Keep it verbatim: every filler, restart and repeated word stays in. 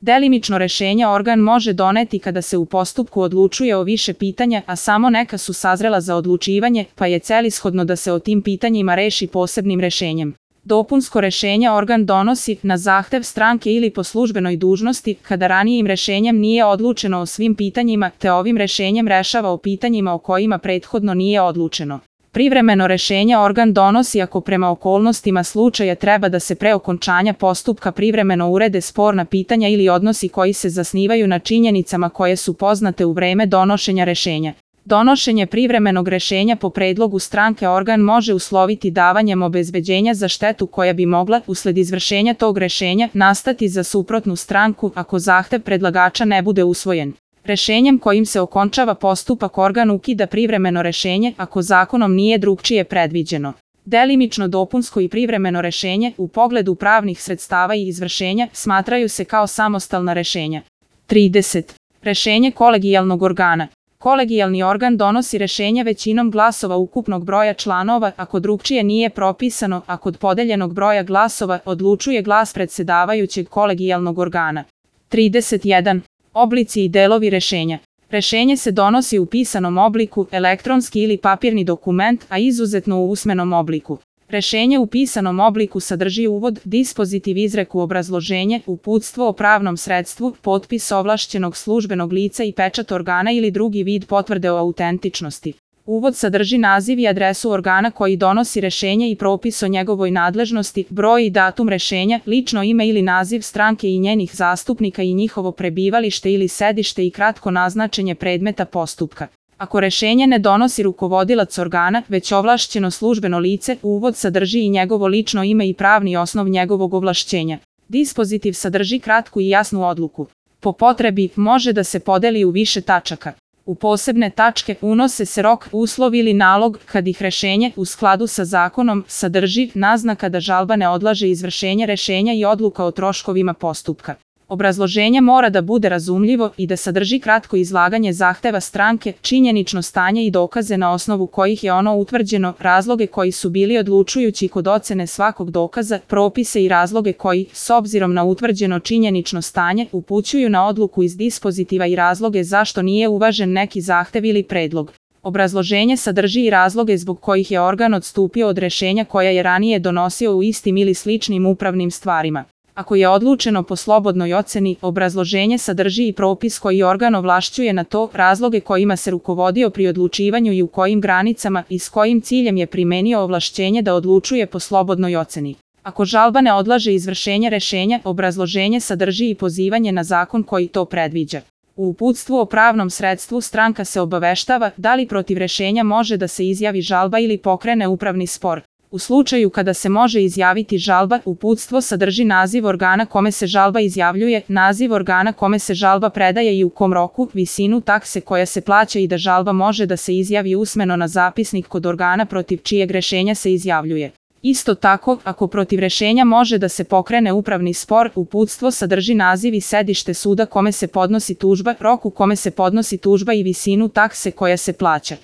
Delimično rešenje organ može doneti kada se u postupku odlučuje o više pitanja, a samo neka su sazrela za odlučivanje, pa je celishodno da se o tim pitanjima reši posebnim rešenjem. Dopunsko rešenje organ donosi na zahtev stranke ili po službenoj dužnosti kada ranijim rešenjem nije odlučeno o svim pitanjima, te ovim rešenjem rešava o pitanjima o kojima prethodno nije odlučeno. Privremeno rešenje organ donosi ako prema okolnostima slučaja treba da se pre okončanja postupka privremeno urede sporna pitanja ili odnosi koji se zasnivaju na činjenicama koje su poznate u vreme donošenja rešenja. Donošenje privremenog rešenja po predlogu stranke organ može usloviti davanjem obezbeđenja za štetu koja bi mogla, usled izvršenja tog rešenja, nastati za suprotnu stranku ako zahtev predlagača ne bude usvojen. Rešenjem kojim se okončava postupak organ ukida privremeno rešenje ako zakonom nije drugčije predviđeno. Delimično dopunsko i privremeno rešenje u pogledu pravnih sredstava i izvršenja smatraju se kao samostalna rešenja. trideset. Rešenje kolegijalnog organa. Kolegijalni organ donosi rešenje većinom glasova ukupnog broja članova, ako drugčije nije propisano, a kod podeljenog broja glasova odlučuje glas predsedavajućeg kolegijalnog organa. trideset jedan. Oblici i delovi rešenja. Rešenje se donosi u pisanom obliku, elektronski ili papirni dokument, a izuzetno u usmenom obliku. Rešenje u pisanom obliku sadrži uvod, dispozitiv, izreku, obrazloženje, uputstvo o pravnom sredstvu, potpis ovlašćenog službenog lica i pečat organa ili drugi vid potvrde o autentičnosti. Uvod sadrži naziv i adresu organa koji donosi rešenje i propis o njegovoj nadležnosti, broj i datum rešenja, lično ime ili naziv stranke i njenih zastupnika i njihovo prebivalište ili sedište i kratko naznačenje predmeta postupka. Ako rešenje ne donosi rukovodilac organa, već ovlašćeno službeno lice, uvod sadrži i njegovo lično ime i pravni osnov njegovog ovlašćenja. Dispozitiv sadrži kratku i jasnu odluku. Po potrebi, može da se podeli u više tačaka. U posebne tačke unose se rok, uslov ili nalog, kad ih rešenje, u skladu sa zakonom, sadrži, naznaka da žalba ne odlaže izvršenje rešenja i odluka o troškovima postupka. Obrazloženje mora da bude razumljivo i da sadrži kratko izlaganje zahteva stranke, činjenično stanje i dokaze na osnovu kojih je ono utvrđeno, razloge koji su bili odlučujući kod ocene svakog dokaza, propise i razloge koji, s obzirom na utvrđeno činjenično stanje, upućuju na odluku iz dispozitiva i razloge zašto nije uvažen neki zahtev ili predlog. Obrazloženje sadrži i razloge zbog kojih je organ odstupio od rešenja koja je ranije donosio u istim ili sličnim upravnim stvarima. Ako je odlučeno po slobodnoj oceni, obrazloženje sadrži i propis koji organ ovlašćuje na to, razloge kojima se rukovodio pri odlučivanju i u kojim granicama i s kojim ciljem je primenio ovlašćenje da odlučuje po slobodnoj oceni. Ako žalba ne odlaže izvršenje rešenja, obrazloženje sadrži i pozivanje na zakon koji to predviđa. U uputstvu o pravnom sredstvu stranka se obaveštava da li protiv rešenja može da se izjavi žalba ili pokrene upravni spor. U slučaju kada se može izjaviti žalba, uputstvo sadrži naziv organa kome se žalba izjavljuje, naziv organa kome se žalba predaje i u kom roku, visinu takse koja se plaća i da žalba može da se izjavi usmeno na zapisnik kod organa protiv čijeg rešenja se izjavljuje. Isto tako, ako protiv rešenja može da se pokrene upravni spor, uputstvo sadrži naziv i sedište suda kome se podnosi tužba, rok u kome se podnosi tužba i visinu takse koja se plaća.